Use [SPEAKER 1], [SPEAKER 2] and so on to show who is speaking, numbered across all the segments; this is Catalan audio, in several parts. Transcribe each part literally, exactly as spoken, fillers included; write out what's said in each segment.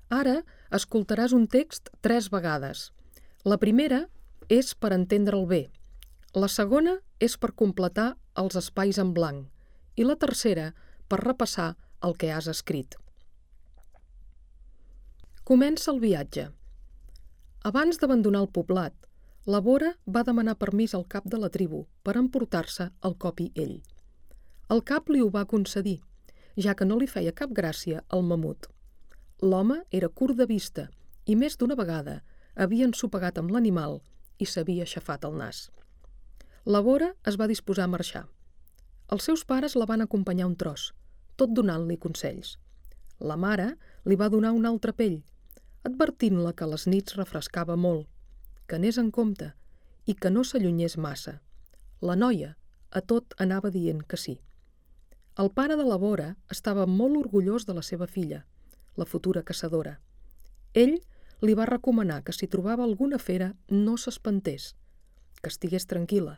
[SPEAKER 1] Ara escoltaràs un text tres vegades. La primera és per entendre'l bé, la segona és per completar els espais en blanc i la tercera per repassar el que has escrit. Comença el viatge. Abans d'abandonar el poblat, la Bora va demanar permís al cap de la tribu per emportar-se el copi ell. El cap li ho va concedir, ja que no li feia cap gràcia el mamut. L'home era curt de vista i més d'una vegada havia ensopegat amb l'animal i s'havia aixafat el nas. La Bora es va disposar a marxar. Els seus pares la van acompanyar un tros, tot donant-li consells. La mare li va donar una altra pell, advertint-la que a les nits refrescava molt, que anés en compte i que no s'allunyés massa. La noia a tot anava dient que sí. El pare de la Bora estava molt orgullós de la seva filla, la futura caçadora. Ell li va recomanar que si trobava alguna fera no s'espantés, que estigués tranquil·la,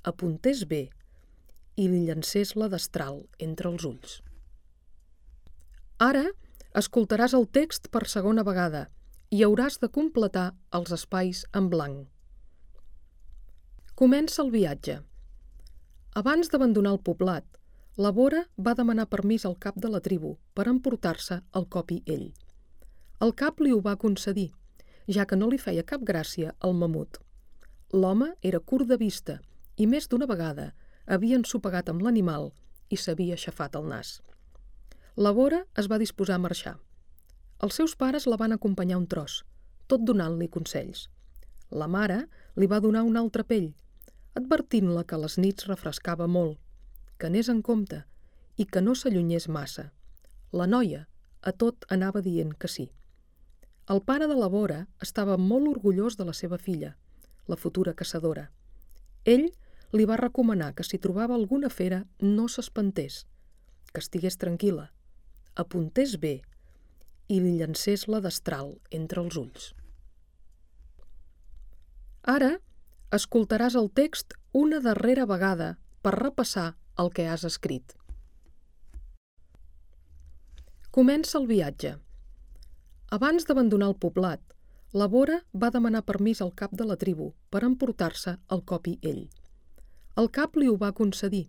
[SPEAKER 1] apuntés bé i li llancés la destral entre els ulls. Ara escoltaràs el text per segona vegada i hauràs de completar els espais en blanc. Comença el viatge. Abans d'abandonar el poblat, la Bora va demanar permís al cap de la tribu per emportar-se el copi ell. El cap li ho va concedir, ja que no li feia cap gràcia el mamut. L'home era curt de vista i més d'una vegada havia ensopegat amb l'animal i s'havia aixafat el nas. La Bora es va disposar a marxar. Els seus pares la van acompanyar un tros, tot donant-li consells. La mare li va donar una altra pell, advertint-la que a les nits refrescava molt, que anés en compte i que no s'allunyés massa. La noia a tot anava dient que sí. El pare de la Bora estava molt orgullós de la seva filla, la futura caçadora. Ell li va recomanar que si trobava alguna fera no s'espantés, que estigués tranquil·la, apuntés bé i li llancés la destral entre els ulls. Ara escoltaràs el text una darrera vegada per repassar el que has escrit. Comença el viatge. Abans d'abandonar el poblat, la Bora va demanar permís al cap de la tribu per emportar-se el copi ell. El cap li ho va concedir,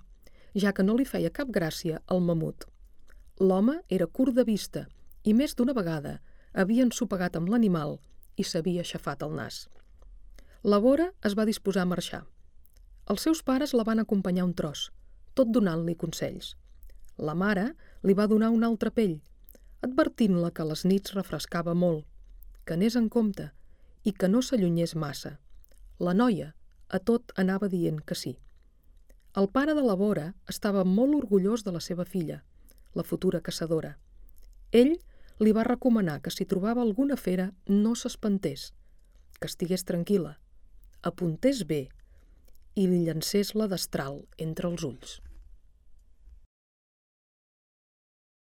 [SPEAKER 1] ja que no li feia cap gràcia el mamut. L'home era curt de vista i més d'una vegada havia ensopegat amb l'animal i s'havia aixafat el nas. La Bora es va disposar a marxar. Els seus pares la van acompanyar un tros, tot donant-li consells. La mare li va donar una altra pell, advertint-la que a les nits refrescava molt, que anés en compte i que no s'allunyés massa. La noia a tot anava dient que sí. El pare de la Bora estava molt orgullós de la seva filla, la futura caçadora. Ell li va recomanar que si trobava alguna fera no s'espantés, que estigués tranquil·la, apuntés bé i li llancés la destral entre els ulls.